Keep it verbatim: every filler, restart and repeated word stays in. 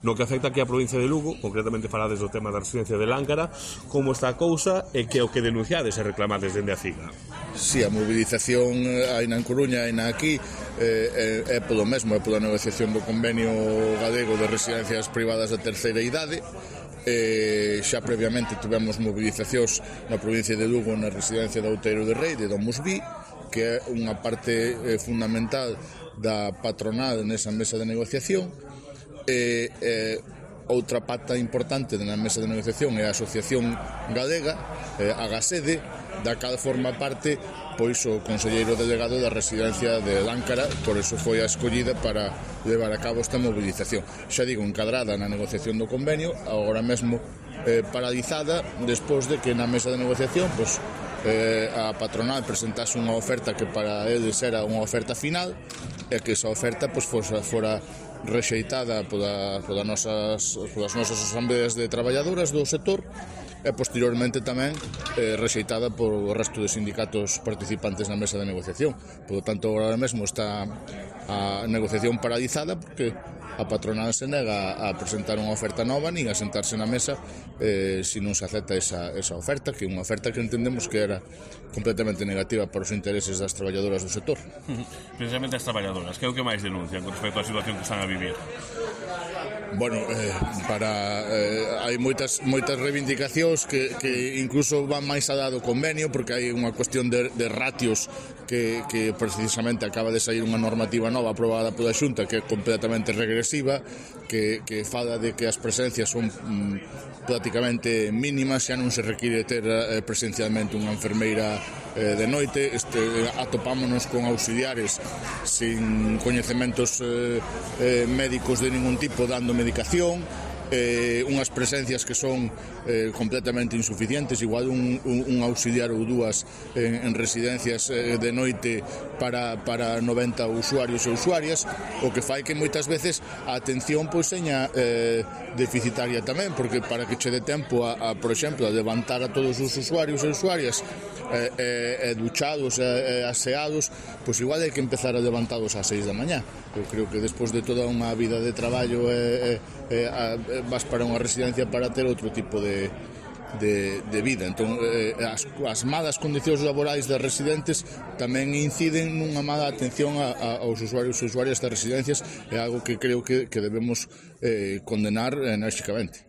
No que afecta aquí a provincia de Lugo, concretamente falades do tema da residencia de Láncara, como está a cousa e que é o que denunciades e reclamades dende a CIGA? Si, a mobilización hai na Coruña e na aquí é, é, é polo mesmo, é pola negociación do convenio galego de residencias privadas de terceira idade. E xa previamente tivemos movilizacións na provincia de Lugo na residencia de Outeiro de Rei, de Domusví, que é unha parte eh, fundamental da patronal nesa mesa de negociación. E, e outra pata importante na mesa de negociación é a Asociación Galega, eh, a Gasede, da cal forma parte pois o conselleiro delegado da residencia de Láncara, por eso foi a escollida para levar a cabo esta movilización. Xa digo, encadrada na negociación do convenio, agora mesmo eh, paralizada, despois de que na mesa de negociación pois, eh, a patronal presentase unha oferta que para eles era unha oferta final, e que esa oferta pois, fora, fora rexeitada pola, pola nosas, polas nosas asambleas de traballadoras do sector e posteriormente tamén eh, rexeitada por o resto de sindicatos participantes na mesa de negociación. Por lo tanto, agora mesmo está a negociación paralizada porque a patronal se nega a presentar unha oferta nova nin a sentarse na mesa eh, se non se acepta esa, esa oferta, que é unha oferta que entendemos que era completamente negativa para os intereses das traballadoras do sector. Precisamente as traballadoras, que é o que máis denuncian con respecto á situación que están a vivir? Bueno, eh, para eh, hai moitas moitas reivindicacións que, que incluso van máis alá do convenio, porque hai unha cuestión de, de ratios que, que precisamente acaba de sair unha normativa nova aprobada pola Xunta que é completamente regresiva, que, que fala de que as presencias son mm, prácticamente mínimas, xa non se require ter eh, presencialmente unha enfermeira eh, de noite. Este, atopámonos con auxiliares sin coñecementos eh, eh, médicos de ningún tipo dando medicación, eh, unhas presencias que son eh, completamente insuficientes, igual un, un, un auxiliar ou dúas en, en residencias eh, de noite para, para noventa usuarios e usuarias, o que fai que moitas veces a atención pois seña eh, deficitaria tamén, porque para que che dé tempo a, a, por exemplo, a levantar a todos os usuarios e usuarias eh, eh, duchados e eh, aseados, pois igual hai que empezar a levantados ás seis da mañá. Eu creo que despois de toda unha vida de traballo eh, eh, eh, vas para unha residencia para ter outro tipo de, de, de vida. Entón, eh, as, as malas condicións laborais das residentes tamén inciden nunha mala atención a, a, aos usuarios e usuarias das residencias, é algo que creo que, que debemos eh, condenar enérxicamente.